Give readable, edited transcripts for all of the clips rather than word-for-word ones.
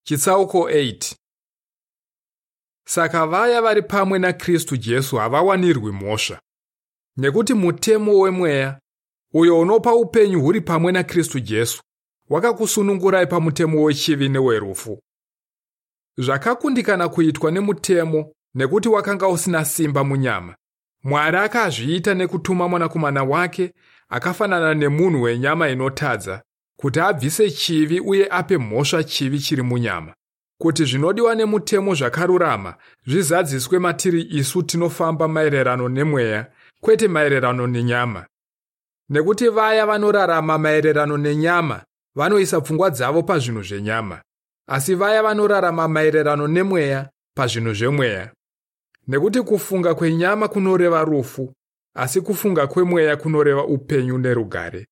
Chitsauko 8. Saka vaya vari pamwe naKristu Jesu havawanirwi mhosva. Nekuti mutemo wemweya, uyo unopa upenyu huri pamwe naKristu Jesu, wakakusunungurai pamutemo wechivi newerufu. Zvakakundikana kuitwa nemutemo nekuti wakanga usina simba munyama. Mwari akazviita nekutuma mwanakomana wake akafanana nemunhu wenyama inotadza kuti abvise chivi uye ape mhosva chivi chiri munyama, kuti zvinodiwa nemutemo zvakarurama zvizadziswe matiri isu tinofamba maererano nemweya, kwete maererano nenyama. Nekuti vaya vanorarama maererano nenyama vanoisa pfungwa dzavo pazvinhu zvenyama, asi vaya vanorarama maererano nemweya pazvinhu zvemweya. Nekuti kufunga kwenyama kunoreva rufu, asi kufunga kwemweya kunoreva upenyu nerugare.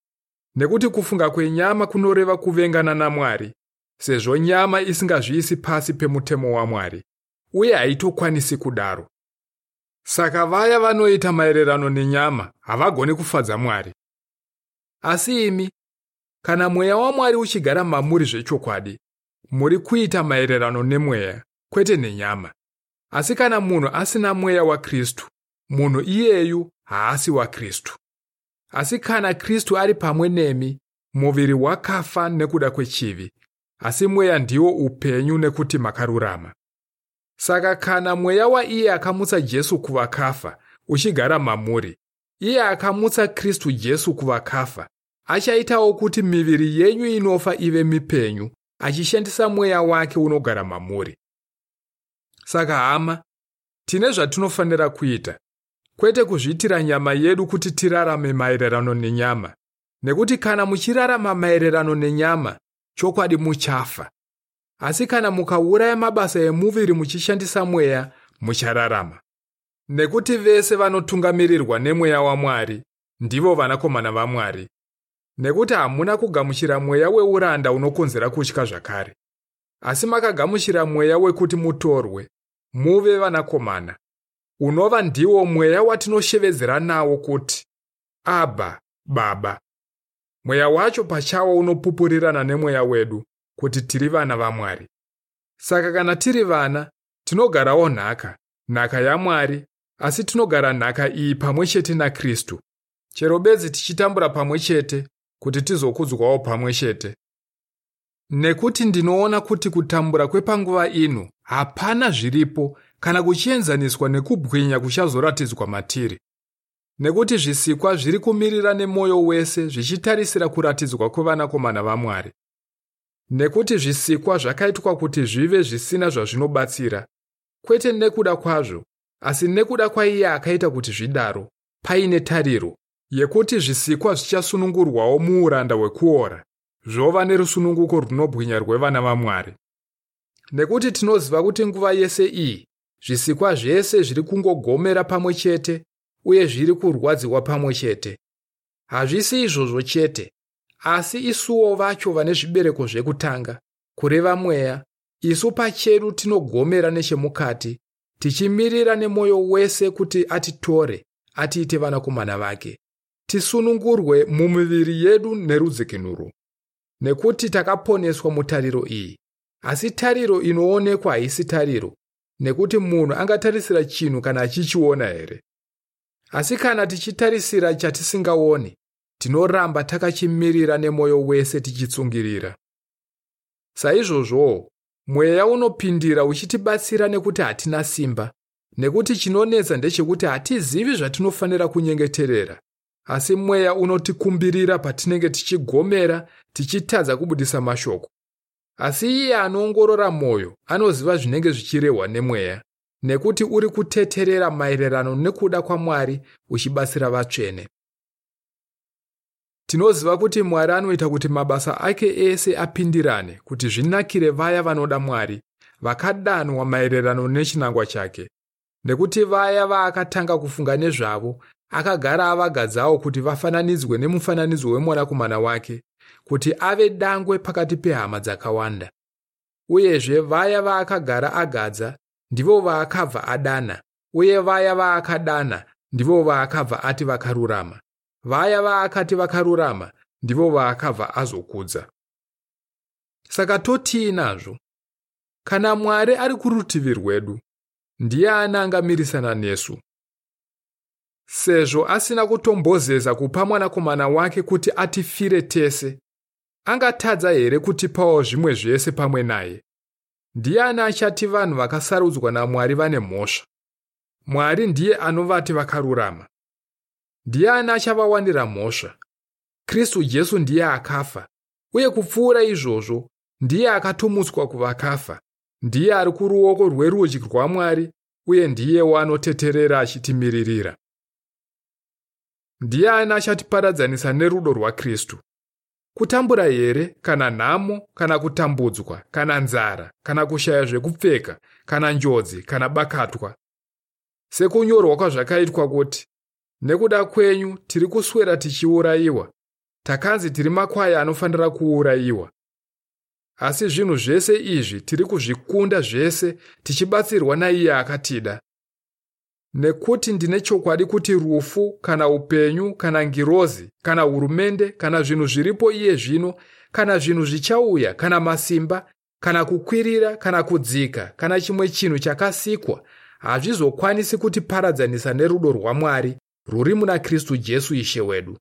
Nekuti kufunga kwenyama kunoreva kuvengana naMwari, sezvo nyama isingazviisi pasi pemutemo waMwari, uye haitokwanisi kudaro. Saka vaya vanoita maererano nenyama havagoni kufadza Mwari. Asi imi, kana mweya waMwari uchigara mamuri zvechokwadi, muri kuita maererano nemweya, kwete nenyama. Asi kana munhu asina mweya waKristu, munhu iyeyu haasi waKristu. Asi kana Kristu ari pamwe nemi, muviri wakafa nekuda kwechivi, asi mweya ndiwo upenyu nekuti makarurama. Saka kana mweya waiye akamutsa Jesu kuvakafa uchigara mamuri, iye akamutsa Kristu Jesu kuvakafa, achaitawo kuti miviri yenyu inofa ive mipenyu, achishandisa mweya wake unogara mamuri. Saka hama, tine zvatinofanira kuita, kwete kuzviitira nyama yedu kuti tirarame maererano nenyama. Nekuti kana muchirarama maererano nenyama, chokwadi muchafa. Asi kana mukauraya mabasa emuviri muchishandisa mweya, muchararama. Nekuti vese vanotungamirirwa nemweya waMwari ndivo vanakomana vaMwari. Nekuti hamuna kugamuchira mweya weuranda unokonzera kutya zvakare, asi makagamuchira mweya wekuti mutorwe, muve vanakomana, unova ndiwo mweya watinoshevedzera nawo kuti, Abba, Baba. Mweya wacho pachawo unopupurirana nemweya wedu kuti tiri vana vaMwari. Saka kana tiri vana, tinogarawo nhaka, nhaka yaMwari, asi tinogara nhaka iyi pamwe chete naKristu. Chero bedzi tichitambura pamwe chete kuti tizokudzwawo pamwe chete. Nekuti ndinoona kuti kutambura kwepanguva ino hapana zviripo kana kuchienzaniswa nekubwinya kuchazoratidzwa matiri. Nekuti zvisikwa zviri kumirira nemwoyo wese zvichitarisira kuratidzwa kwevanakomana vaMwari. Nekuti zvisikwa zvakaitwa kuti zvive zvisina zvazvinobatsira, kwete nekuda kwazvo, asi nekuda kwaiye akaita kuti zvidaro, paine tariro yekuti zvisikwa zvichasunungurwawo muuranda hwekuora, zvova nerusununguko runobwinya rwevana vaMwari. Nekuti tinoziva kuti nguva yese iyi zvisikwa zvese zviri kungogomera pamwe chete uye zviri kurwadziwa pamwe chete. Hazvisi izvozvo chete, asi isuwo vacho vane zvibereko zvekutanga, kureva mweya, isu pachedu tinogomera nechemukati, tichimirira nemwoyo wese kuti atitore, atiite vanakomana vake, tisunungurwe mumiviri yedu nerudzikinuro. Nekuti takaponeswa mutariro iyi. Asi tariro inoonekwa haisi tariro, nekuti munhu angatarisira chinhu kana achichiona here? Asi kana tichitarisira chatisingaoni, tinoramba takachimirira nemwoyo wese tichitsungirira. Saizvozvowo, mweya unopindira uchitibatsira nekuti hatina simba, nekuti chinonetsa ndechekuti hatizivi zvatinofanira kunyengeterera, asi mweya unotikumbirira patinenge tichigomera tichitadza kubudisa mashoko. Asi iye anoongorora mwoyo anoziva zvinenge zvichirehwa nemweya, nekuti uri kuteterera maererano nekuda kwaMwari uchibatsira vatsvene. Tinoziva kuti Mwari anoita kuti mabasa ake ese apindirane kuti zvinakire vaya vanoda Mwari, vakadanwa maererano nechinangwa chake. Nekuti vaya vaakatanga kufunga nezvavo, akagara avagadzawo kuti vafananidzwe nemufananidzo wemwanakomana wake, kuti ave dangwe pakati pehama dzakawanda. Uyezve vaya vaakagara agadza ndivo vaakabva adana, uye vaya vaakadana ndivo vaakabva ati vakarurama. Vaya vaakati vakarurama ndivo vaakabva azokudza. Saka totii nazvo? Kana Mwari ari kurutivi rwedu, ndiani angamirisana nesu? Sezvo asina kutombozeza kupa mwanakomana wake kuti atifire tese, angatadza here kutipawo zvimwe zvese pamwe naye? Ndiani achati vanhu vakasarudzwa naMwari vane mhosva? Mwari ndiye anovati vakarurama. Ndiani achavawanira mhosva? Kristu Jesu ndiye akafa, uye kupfuura izvozvo, ndiye akatomutswa kuvakafa. Ndiye ari kuruoko rwerudyi rwaMwari uye ndiyewo anoteterera achitimiririra. Ndiani achatiparadzanisa nerudo rwaKristu? Kutambura here, kana nhamo, kana kutambudzwa, kana nzara, kana kushaya zvekupfeka, kana njodzi, kana bakatwa? Sekunyorwa kwazvakaitwa kuti, nekuda kwenyu tiri kuswera tichiurayiwa, takanzi tiri makwai anofanira kuurayiwa. Asi zvinhu zvese izvi tiri kuzvikunda zvese tichibatsirwa naiye akatida. Nekuti ndine chokwadi kuti rufu, kana upenyu, kana ngirozi, kana hurumende, kana zvinhu zviripo iye zvino, kana zvinhu zvichauya, kana masimba, kana kukwirira, kana kudzika, kana chimwe chinhu chakasikwa, hazvizokwanisi kutiparadzanisa nerudo rwaMwari rwuri muna Kristu Jesu Ishe wedu.